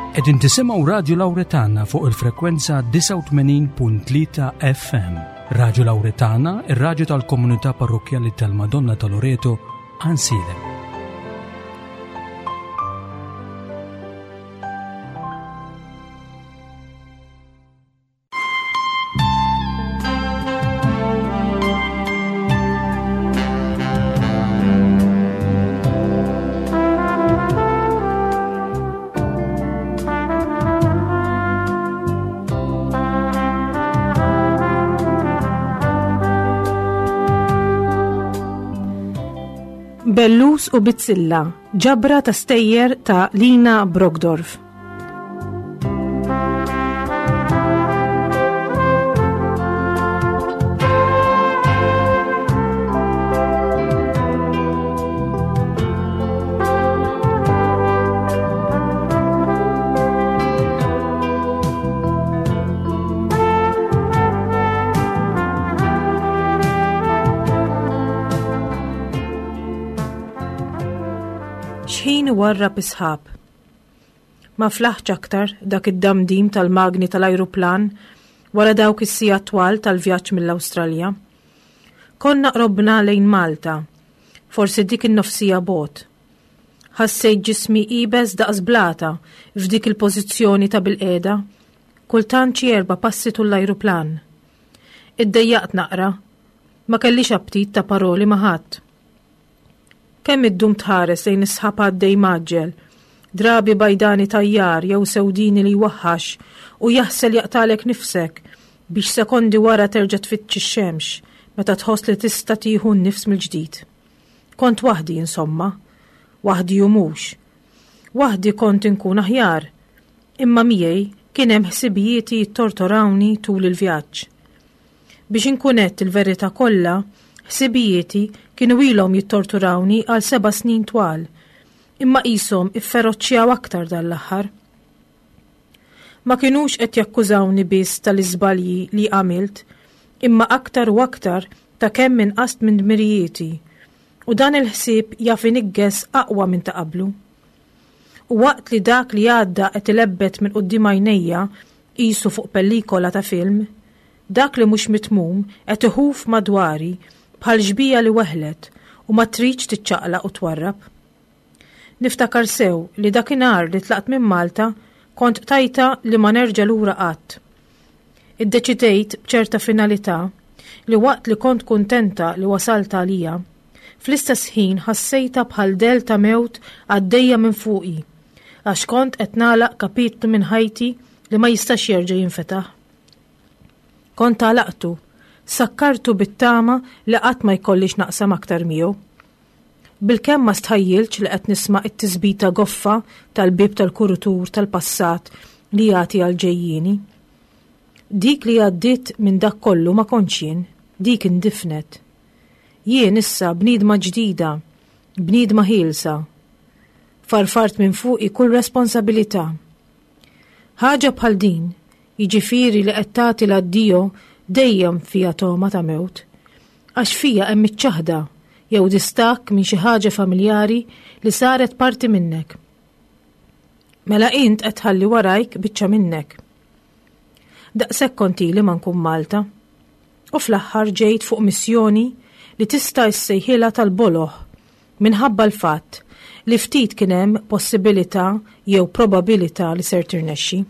Qegħdin tisimgħu Radju Lawretana fuq il-frekwenza 89.3 FM. Radju Lawretana, ir-radju tal-komunità parrokkjali tal-Madonna ta' Loreto, Ansilem. Bellus u Bizzilla, ġabra ta' stejjer ta' Lina Brogdorf. Xħin warrab isħab. Ma flaħtx aktar dak id-damdim tal-magni tal-ajruplan wara dawk is-sigħat twal tal-vjaġġ mill-Awstralja. Konna qrobna lejn Malta, forsi dik in-nofsija bogħod. Ħassejt ġismi iebes daqs blata f'dik il-pożizzjoni ta' bilqiegħda, kultant xi erba' passi tul l-ajruplan. Iddejjaqt naqra, ma kellix aptit ta' paroli ma' ħadd. Kemm iddum tħares lejn is-sħab għaddej mgħaġġel, drabi bajdani tajjar jew sewdini li jwaħħax u jaħsel jaqtagħlek nifsek biex sekondi wara terġa' tfittx ix-xemx meta tħoss li tista' tieħu n-nifs mill-ġdid. Kont waħdi insomma. Waħdi u mhux. Waħdi kont inkun aħjar. Imma miegħi kien hemm ħsibijieti jittortorawni tul il-vjaġġ. Biex inkun għedt il-verità kollha, ħsibijieti kienu ilhom jittorturawni għal seba' snin twal, imma qishom ifferoċċjaw aktar dan l-aħħar. Ma kinux qed jakkużawni biss tal-iżbalji li għamilt, imma aktar u aktar ta' kemm inqast minn dmirijieti, u dan il-ħsieb jaf iniggeż aqwa minn ta' qablu. U waqt li dak li għadda qed ilebbet minn quddiem għajnejja qisu fuq pellikola ta' film, dak li mhux mitmum qed iħuf madwari bħal xbieha li weħlet u ma tridx tiċċaqlaq u twarrab. Niftakar sew li dakinhar li tlaqt minn Malta kont qtajtha li ma nerġa' lura qatt. Iddeċidejt b'ċerta finalità li waqt li kont kuntenta li wasalt għalija, fl-istess ħin ħassejtha bħal dell ta' mewt għaddejja minn fuqi għax kont qed nagħlaq kapitlu minn ħajti li ma jistax jerġa' jinfetaħ. Kont għalaqtu, sakkartu bit-tama li qatt ma jkolli x'naqsam aktar miegħu. Bilkemm ma stħajjiltx li qed nisma' t-tisbita goffa tal-bieb tal-kurutur tal-passat li jagħti għall-ġejjieni. Dik li għaddiet minn dak kollu ma kontx jien, dik indifnet. Jien issa bniedma ġdida, bniedma ħielsa. Farfart minn fuqi kull responsabilità. Ħaġa bħal din, jiġifieri li qed tagħti l-addio dejjem fiha togħma ta' mewt. Għax fija hemm iċ-ċaħda jew distakk minn xi ħaġa familjari li saret parti minnek. Mela int qed tħalli warajk biċċa minnek. Daqshekk kont ili ma nkun Malta. U fl-aħħar ġejt fuq missjoni li tista' issejħilha tal-boloh minħabba l-fatt li ftit kien hemm possibilità jew probabilità li ser tirnexxi.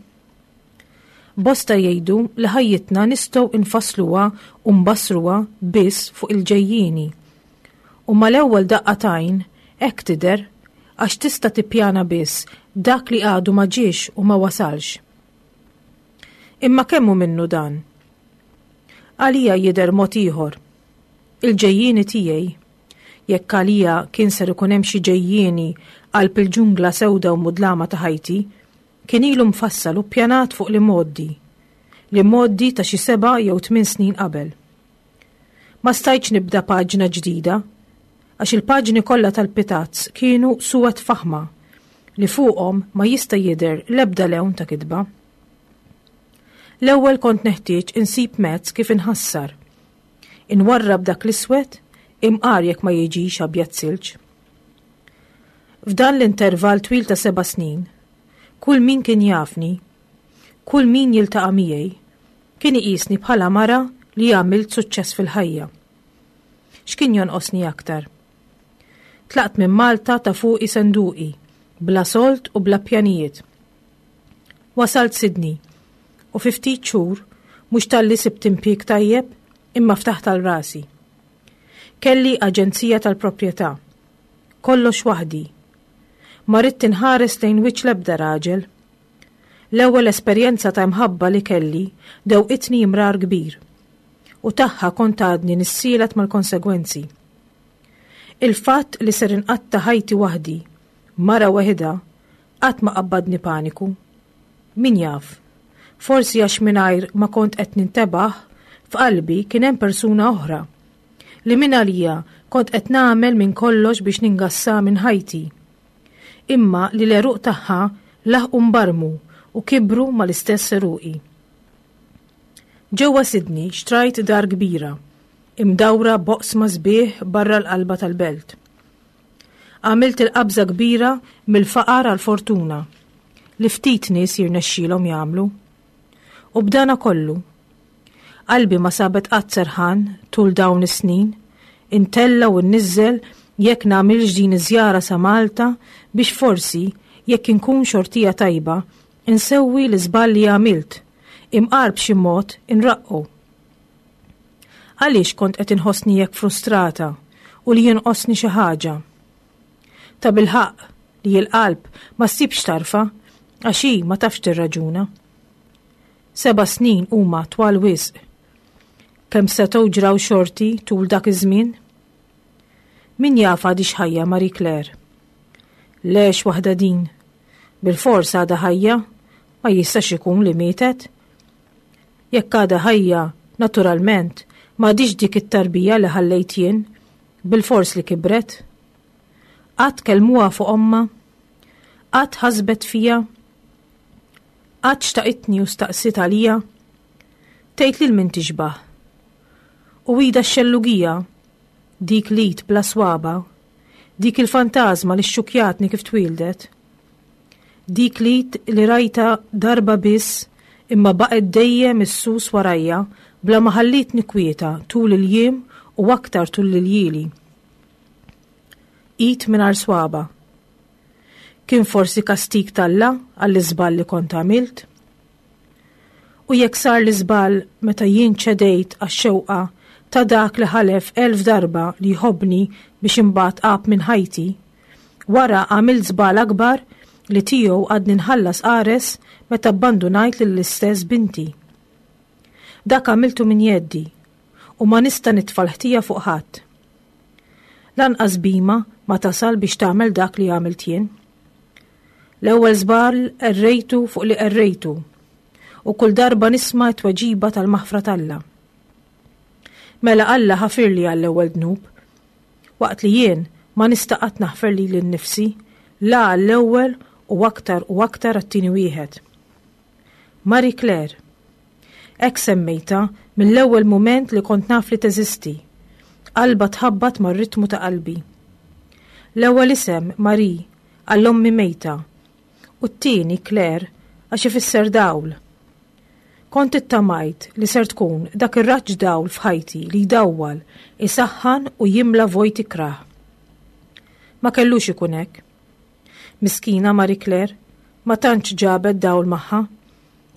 Bosta jgħidu li ħajjitna nistgħu nfassluha u nbassruha biss fuq il-ġejjieni. U mal-ewwel daqqa t'għajn hekk tidher għax tista' tippjana biss dak li għadu ma ġiex u ma wasalx. Imma kemm hu minnu dan? Għalija jidher mod ieħor. Il-ġejjieni tiegħi, jekk għalija kien ser ikun hemm xi ġejjieni qalb il-ġungla sewda u mudlama ta' ħajti, kien ilu mfassal u ppjanat fuq l-imgħoddi, l-imgħoddi ta' xi seba' jew tmien snin qabel. Ma stajtx nibda paġna ġdida, għax il-paġni kollha tal-pitazz kienu suwed faħma li fuqhom ma jista' jidher l-ebda lewn ta' kitba. L-ewwel kont neħtieġ insib mezz kif inħassar. Inwarrab dak l-iswed, imqar jekk ma jiġix abjad silġ. F'dan l-intervall twil ta' seba' snin, Kull min kien jafni, kull min jiltaqa' miegħi, kien iqisni bħala mara li għamilt suċċess fil-ħajja. X'kien jonqosni aktar? Tlaqt minn Malta ta' fuqi senduqi, bla sold u bla pjanijiet. Wasalt Sydney u fi ftit xhur mhux talli sibt impjieg tajjeb imma ftaħt għal rasi. Kelli aġenzija tal-proprjetà. Kollox waħdi. Ma ridt inħares lejn wiċċ l-ebda raġel. L-ewwel esperjenza ta' imħabba li kelli dewqitni imrar kbir u tagħha kont għadni nissielet mal-konsegwenzi. Il-fatt li ser inqatta' ħajti waħdi, mara weħidha, qatt ma qabbadni paniku. Min jaf, forsi għax mingħajr ma kont qed nintebaħ, f'qalbi kien hemm persuna oħra li mingħalija kont qed nagħmel minn kollox biex ningassha minn ħajti. Imma li l-għeruq tagħha laħqu nbarmu u kibru mal-istess għeruqi. Ġewwa Sydney xtrajt dar kbira, imdawra b'oqsma sbieħ barra l-qalba tal-belt. Għamilt il-qabża kbira mill-faqar għall-fortuna, li ftit nies jirnexxilhom jagħmlu. U b'dana kollu, qalbi ma sabet qatt serħan tul dawn is-snin, intella' u nniżżel jekk nagħmilx din iż-żjara sa Malta biex forsi, jekk inkun xortija tajba, insewwi l-iżball li għamilt, imqar b'xi mod inraqqu. Għaliex kont qed inħossni hekk frustrata u li jonqosni xi ħaġa? Tabilħaqq li l-qalb ma ssibx tarfha għax hi ma tafx tirraġuna. Seba' snin huma twal wisq. Kemm setgħu ġraw xorti tul dak iż-żmien? Min jaf għadhiex ħajja Marie Claire? Le x'waħda din. Bilfors għadha ħajja, ma jistax ikun li mietet. Jekk għadha ħajja, naturalment, m'għadhiex dik it-tarbija li ħallejt jien, bilfors li kibret. Qatt kellmuha fuq ommha? Qatt ħasbet fija? Qatt xtaqitni u staqsiet għalija? Tgħid lil min tixbah? U idha x-xellugija, dik l-id bla swaba, dik il-fantażma li xxukkjatni kif twieldet. Dik l-id li rajtha darba biss imma baqgħet dejjem issus warajja bla ma ħallietni kwieta tul il-jiem u aktar tul l-iljieli. Id mingħajr swaba. Kien forsi kastig t'Alla għall-iżball li kont għamilt? U jekk sar l-iżball meta jien ċedejt għax-xewqa ta' dak li ħalef 1000 darba li jħobbni biex imbagħad għab minn ħajti, wara għamilt żball akbar li tiegħu għadni nħallas qares meta abbandunajt lill-istess binti. Dak għamiltu minn jeddi u ma nista' nitfa' l-ħtija fuq ħadd. Lanqas bhima ma tasal biex tagħmel dak li għamilt jien. L-ewwel żball qerrejtu fuq li qerrejtu u kull darba nisma' t-tweġiba tal-maħfra t'Alla. Mela Alla ħafirli għall-ewwel dnub, waqt li jien ma nista' qatt naħfer lili nnifsi la għall-ewwel u aktar u aktar għat-tieni wieħed. Marie Claire. Hekk semmejtha mill-ewwel mument li kont naf li teżisti. Qalbha tħabbat mar-ritmu ta' qalbi. L-ewwel isem, Marie, għal ommi mejta, u t-tieni, Claire, għax ifisser dawl. Kont ittamajt li ser tkun dak ir-raġġ dawl f'ħajti li jdawwal, isaħħan u jimla vojt ikrah. Ma kellux ikun hekk. Miskina Marie Claire, ma tantx ġabet dawl magħha.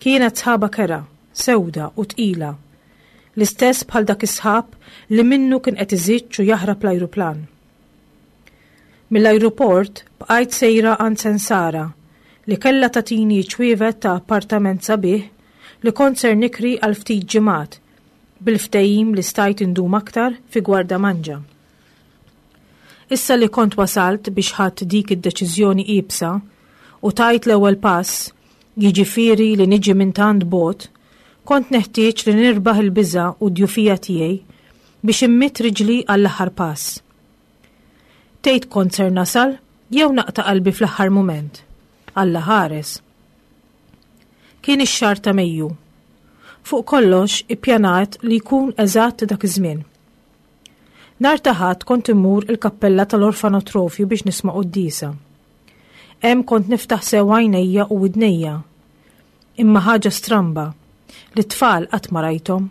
Kienet sħaba kerha, sewda u tqila. L-istess bħal dak is-sħab li minnu kien qed iżiġġ u jaħrab l-ajruplan. Mill-ajruport bqajt sejra għand Sensara li kellha tagħtini ċ-ċwievet ta' appartament sabiħ li kont ser nikri għal ftit ġimgħat bil-ftehim li stajt indum aktar fi Gwardamanġa. Issa li kont wasalt biex ħadt dik id-deċiżjoni iebsa u tajt l-ewwel pass, jiġifieri li niġi minn tant bogħod, kont neħtieġ li nirbaħ il-biża' u d-djufija tiegħi biex immidd riġli għall-aħħar pass. Tgħid kont ser nasal jew naqta' qalbi fl-aħħar mument? Alla ħares. Kien ix-xahar ta' Mejju. Fuq kollox ippjanat li jkun eżatt dak iż-żmien. Nhar ta' Ħadd kont immur il-kappella tal-orfanotrofju biex nisma' quddiesa. Hemm kont niftaħ sew għajnejja u widnejja. Imma ħaġa stramba, li t-tfal qatt ma rajthom.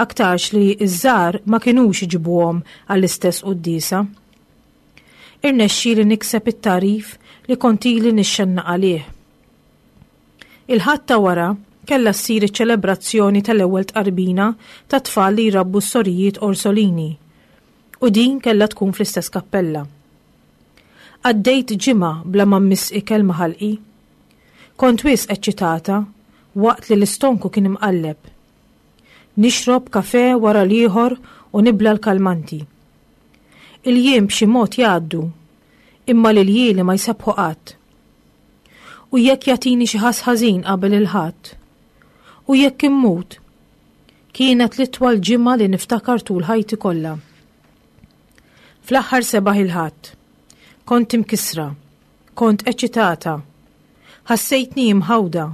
Aktarx li ż-żgħar ma kinux iġibuhom għall-istess quddiesa. Irnexxieli nikseb it-tagħrif li kont ili nixxennaq għalih. Il-Ħadd ta' wara kellha ssir iċ-ċelebrazzjoni tal-ewwel tqarbina tat-tfal li jrabbu s-sorijiet Orsolini u din kellha tkun fl-istess kappella. Għaddejt ġimgħa bla ma mmiss ikel ma' ħalqi. Kont wisq eċċitata waqt li l-istonku kien imqalleb. Nixrob kafè wara l-ieħor u nibla' l-kalmanti. Il-jiem b'xi mod jgħaddu, imma l-iljieli ma jsebbħu qatt. U jekk jagħtini xi ħass ħażin qabel il-Ħadd? U jekk immut? Kienet l-itwal ġimgħa li niftakar tul ħajti kollha. Fl-aħħar sebaħ il-Ħadd. Kont imkissra. Kont eċitata. Ħassejtni imħawda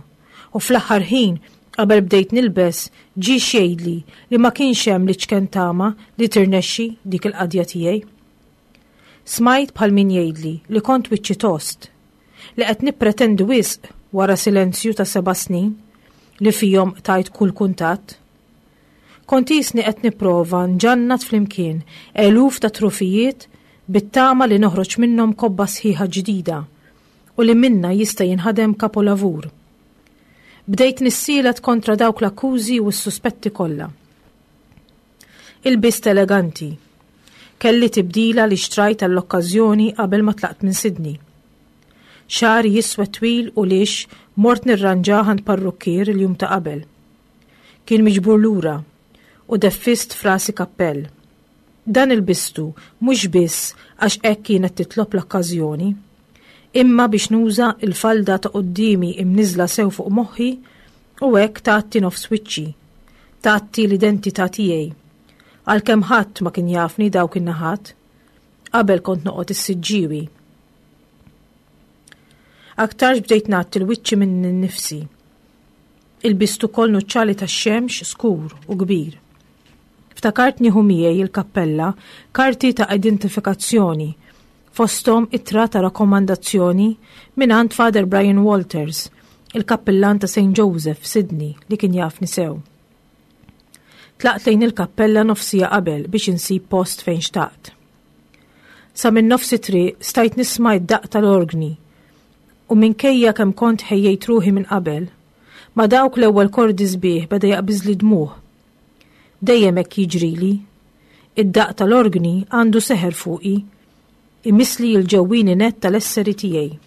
u fl-aħħar ħin qabel bdejt nilbes ġie x'jgħidli li ma kienx hemm l-iċken tama li tirnexxi dik il-qadja tiegħi. Smajt bħal min jgħidli li kont wiċċi tost, li qed nippretendi wisq wara silenzju ta' seba' snin li fihom qtajt kull kuntatt. Kont qisni qed nipprova nġannat flimkien eluf ta' trufijiet bit-tama li noħroġ minnhom kobba sħiħa ġdida u li minnha jista' jinħadem kapolavur. Bdejt nissielet kontra dawk l-akkużi u s-suspetti kollha. Ilbist eleganti. Kelli tibdila li xtrajt għall-okkażjoni qabel ma tlaqt minn Sydney. Xagħri jiswed twil u lixx mort nirranġah għand parrukkier il-jum ta' qabel. Kien miġbur lura u deffist f'rasi kappell. Dan ilbistu mhux biss għax hekk kienet titlob l-okkażjoni, imma biex nuża l-falda ta' quddiemi imniżżla sew fuq moħħi u hekk tgħatti nofs wiċċi, tgħatti l-identità tiegħi. Għalkemm ħadd ma kien jafni dawk in-naħat. Qabel kont noqgħod is-Siġġiewi. Aktarx bdejt ngħatti l-wiċċi minni nnifsi. Ilbist ukoll nuċċali tax-xemx skur u kbir. Ftakart nieħu miegħi il-kappella karti ta' identifikazzjoni, fosthom ittra ta' rakkomandazzjoni mingħand Father Brian Walters, il-kappillan ta' St. Joseph, Sydney, li kien jafni sew. Tlaqt lejn il-kappella nofsija qabel biex insib post fejn xtaqt. Sa minn nofs it-triq stajt nisma' id-daqq tal-orgni u minkejja kemm kont ħejjejt ruħi minn qabel, ma' dawk l-ewwel kordi sbieħ beda jaqbiżli dmugħ. Dejjem hekk jiġrili. Id-daqq tal-orgni għandu seħer fuqi, imissli l-ġewwieni nett tal-esseri tiegħi.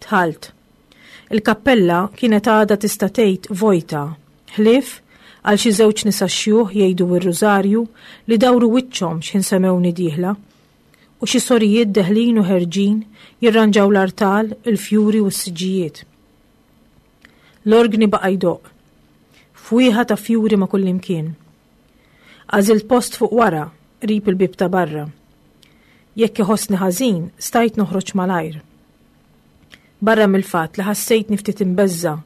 Dħalt. Il-kappella kienet għadha tista' tgħid vojta, ħlief għal xi żewġ nisa xjuħ jgħidu r-rużarju li dawru wiċċhom x'ħin semgħuni dieħla, u xi sorijiet deħlin u ħerġin jirranġaw l-artal, il-fjuri u s-siġġijiet. L-orgni baqa' jdoqq. Fwieħa ta' fjuri ma' kullimkien. Għażilt post fuq wara, qrib il-bieb ta' barra. Jekk iħossni ħażin, stajt noħroġ malajr. Barra mill-fatt li ħassejtni ftit imbeżża'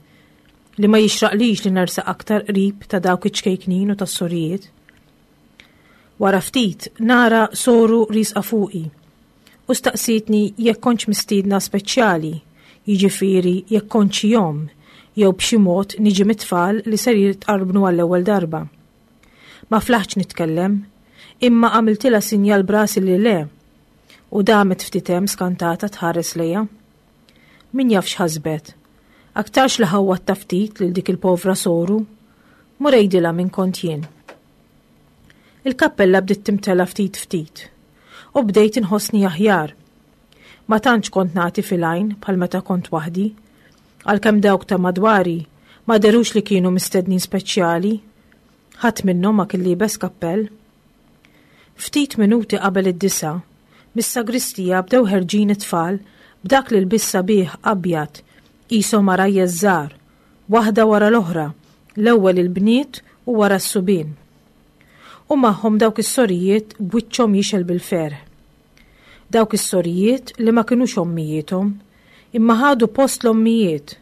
li ma jixraqlix li nersaq aktar qrib ta' dawk iċ-ċkejknin u tas-sorijiet. Wara ftit nara soru riesqa fuqi u staqsietni jekk kontx mistiedna speċjali, jiġifieri jekk kontx xi omm jew b'xi mod niġi mit-tfal li ser jitqarbnu għall-ewwel darba. Ma flaħtx nitkellem, imma għamiltilha sinjal b'rasi li le, u damet ftit hemm skantata tħares lejha. Min jaf x'ħasbet. Aktarx li ħawwadtha ftit lil dik il-povra soru. Mur għidilha min kont jien. Il-kappella bdiet timtela ftit ftit u bdejt inħossni aħjar. Ma tantx kont nagħti fil-għajn bħal meta kont waħdi, għalkemm dawk ta' madwari ma dherux li kienu mistednin speċjali. Ħadd minnhom ma kien liebes kappell. Ftit minuti qabel id-disgħa, mis-sagristija bdew ħerġin it-tfal b'dak l-ilbies sabiħ abjad qishom għarajjes żgħar, waħda wara l-oħra, l-ewwel il-bniet u wara s-subien. U magħhom dawk is-sorijiet b'wiċċhom jixgħel bil-ferħ. Dawk is-sorijiet li ma kinux ommijiethom, imma ħadu post l-ommijiet,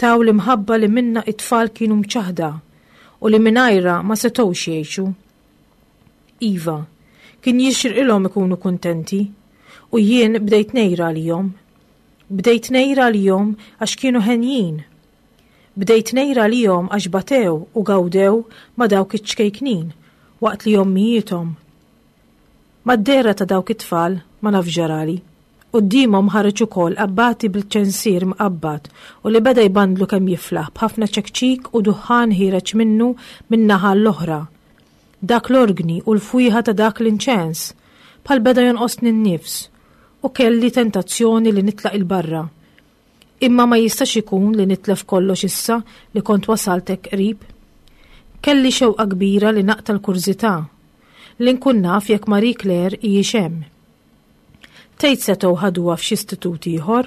taw l-imħabba li minnha t-tfal kienu mċaħħda u li mingħajrha ma setgħux jgħixu. Iva, kien jixirqilhom ikunu kuntenti, u jien bdejt ngħir għalihom. Bdejt ngħir għalihom għax kienu henjin. Bdejt ngħir għalihom għax batew u gawdew ma' dawk iċ-ċkejknin waqt li ommijiethom. Mad-dehra ta' dawk it-tfal ma nafx ġarali. Quddiemhom ħareġ ukoll abbati bil-ċensier mqabbad u li beda jbandlu kemm jiflaħ b'ħafna ċekċik u duħħan ħiereġ minnu minn naħa għall-oħra. Dak l-orgni u l-fwieħa ta' dak l-inċens! Bħal beda jonqosni n-nifs u kelli tentazzjoni li nitlaq 'il barra. Imma ma jistax ikun li nitlef kollox issa li kont wasalt hekk qrib. Kelli xewqa kbira li naqta' l-kurżità, li nkun naf jekk Marie Claire hijiex hemm. Tgħid setgħu ħaduha f'xi istitut ieħor?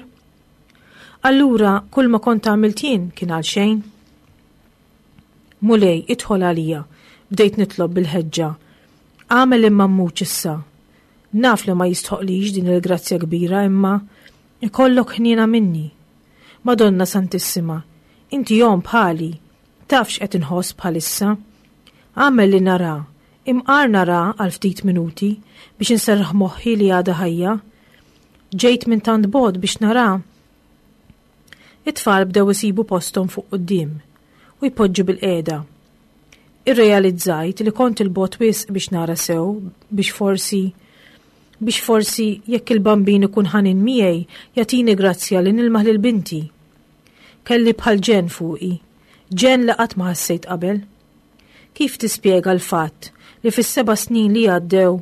Allura kull ma kont għamilt jien kien għal xejn? Mulej, idħol għalija, bdejt nitlob bil-ħeġġa. Agħmel imma mmutx issa. Naf li ma jistħoqlix din il-grazzja kbira imma ikollok ħniena minni. Madonna Santissima, inti omm bħali, taf x'qed inħoss bħalissa. Agħmel li nara, imqar nara għal ftit minuti biex inserraħ moħħi li għadha ħajja. Ġejt minn tant bogħod biex nara. It-tfal bdew isibu posthom fuq quddiem u jpoġġu bilqiegħda. Irrealizzajt li kont 'il bogħod wisq biex nara sew biex forsi biex forsi jekk il-Bambin ikun ħanin miegħi jagħtini grazzja li nilmaħ lil binti. Kelli bħal ġenn fuqi, ġenn li qatt ma ħassejt qabel. Kif tispjega l-fatt li fis-seba' snin li għaddew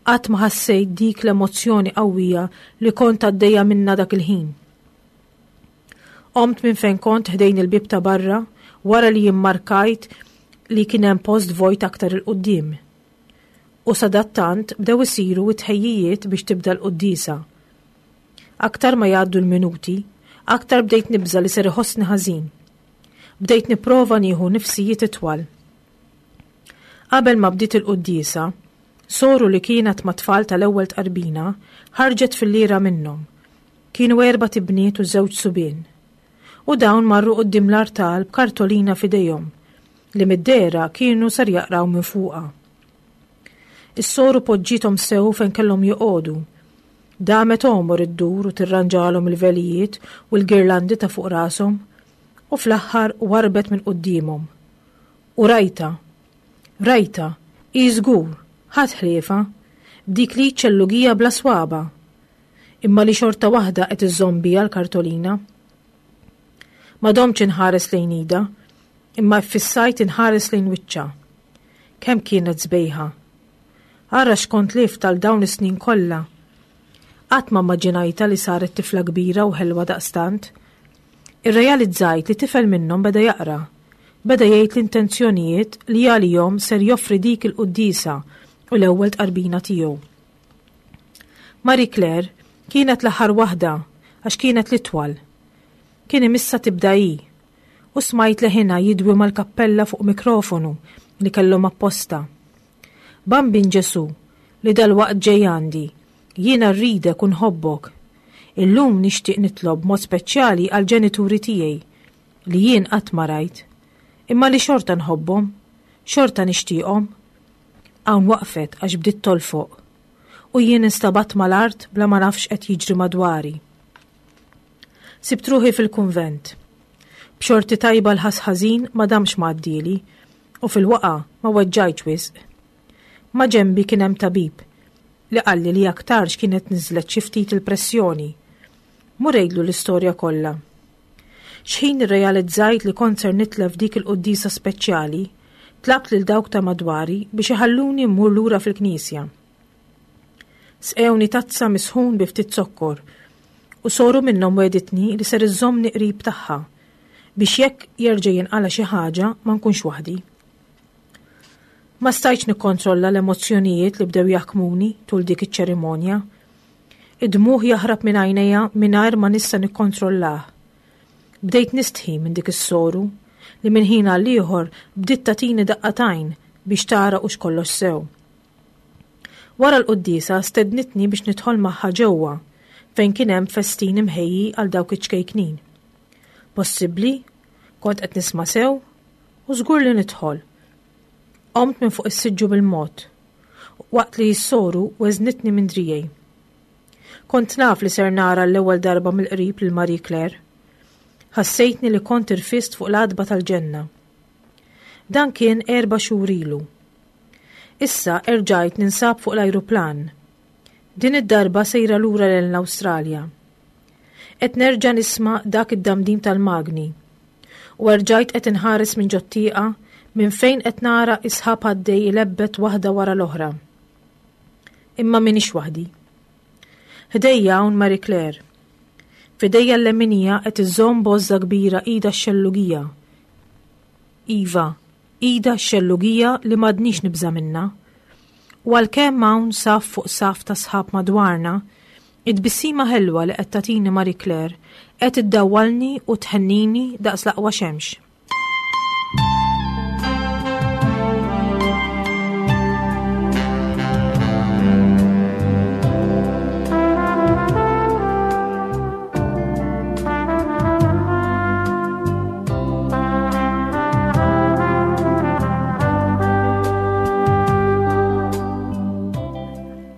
qatt ma ħassejt dik l-emozzjoni qawwija li kont għaddejja minnha dak il-ħin? Qomt minn fejn kont ħdejn il-bieb ta' barra wara li immarkajt li kien hemm post vojt aktar 'il quddiem. U sadattant bdew isiru t-tħejjijiet biex tibda l-quddiesa. Aktar ma jgħaddu l-minuti, aktar bdejt nibża' li ser iħossni ħażin. Bdejt nipprova nieħu nifsijiet itwal. Qabel ma bdiet il-quddiesa, soru li kienet mat-tfal tal-ewwel tqarbina ħarġet filliera minnhom. Kienu erbat ibniet u żewġ subien. U dawn marru quddiem l-artal b'kartolina f'idejhom, li mid-dehra kienu ser jaqraw minn fuqha. Is-soru poġġiethom sew fejn kellhom joqogħdu. Damet għomor iddur u tirranġalhom il-velijiet u l-girlandi ta' fuq rashom, u fl-aħħar warrbet minn quddiemhom. U rajtha. Rajtha, hi żgur, ħadd ħliefha, b'dik l-id ċellugija bla swaba'. Imma li xorta waħda qed iżżomm biha l-kartolina. Ma domtx inħares lejn idha, imma iffissajt inħares lejn wiċċha. Kemm kienet sbejħa! Ara x'kont lift għal dawn is-snin kollha! Qatt ma mmaġinajtha li saret tifla kbira u ħelwa daqstant. Irrealizzajt li tifel minnhom beda jaqra. Beda jgħid l-intenzjonijiet li għalihom ser joffri dik il-quddiesa u l-ewwel tqarbina tiegħu. Marie Claire kienet l-aħħar waħda għax kienet l-itwal. Kien imissha tibda hi. U smajt leħinha jidwi mal-kappella fuq mikrofonu li kellhom apposta. Bambin Ġesù, li dalwaqt ġej għandi, jiena rridek u nħobbok. Illum nixtieq nitlob b'mod speċjali għall-ġenituri tiegħi, li jien qatt ma rajt, imma li xorta nħobbhom, xorta nixtieqhom. Hawn waqfet għax bdiet tolfoq. U jien instabatt mal-art bla ma naf x'qed jiġri madwari. Sibt ruħi fil-kunvent. B'xorti tajba l-ħass ħażin ma damx ma għaddieli u fil-waqgħa ma weġġajtx wisq. Ma' ġenbi kien hemm tabib li qalli li aktarx kienet niżlet xi ftit il-pressjoni. Mur għidlu l-istorja kollha. X'ħin irrealizzajt li kont ser nitlef dik il-quddiesa speċjali, tlabt lil dawk ta' madwari biex iħalluni mmur lura fil-knisja. Sqewni tazza misħun bi ftit zokkor u soru minnhom wegħditni li ser iżżommni qrib tagħha biex jekk jerġa' jinqala' xi ħaġa ma nkunx waħdi. Ma stajtx nikkontrolla l-emozzjonijiet li bdew jaħkmuni tul dik iċ-ċerimonja. Id-dmugħ jaħrab minn għajnejja mingħajr ma nista' nikkontrollah. Bdejt nistħi minn dik is-soru li minn ħin għal ieħor bdiet tagħtini daqqa t'għajn biex tara hux kollox sew. Wara l-quddiesa stednitni biex nidħol magħha ġewwa fejn kien hemm festin imħejji għal dawk iċ-ċkejknin. Possibbli? Kont qed nisma' sew? U żgur li nidħol. Qomt minn fuq is-siġġu bil-mod, waqt li s-soru weżnitni minn driegħi. Kont naf li ser nara l-ewwel darba mill-qrib lil Marie Claire. Ħassejtni li kont irfist fuq l-għatba tal-ġenna. Dan kien erba' xhur ilu. Issa erġajt ninsab fuq l-ajruplan. Din id-darba sejra lura lejn l-Awstralja. Qed nerġa' nisma' dak id-damdim tal-magni. U erġajt qed inħares minn ġot-tieqa minn fejn qed nara is-sħab għaddej ilebbet waħda wara l-oħra. Imma m'iniex waħdi. Ħdejja hawn Marie Claire. F'idejja l-leminija qed iżżomm bożża kbira idha x-xellugija. Iva, idha x-xellugija li m'għadnix nibża' minnha. U għalkemm hawn saff fuq saff ta' sħab madwarna, it-tbissima ħelwa li qed tagħtini Marie Claire qed iddawwalni u tħennini daqs l-aqwa xemx.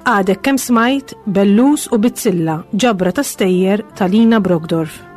Għadek kemm smajt Bellus u Bizzilla, ġabra ta' stejjer ta' Lina Brogdorf.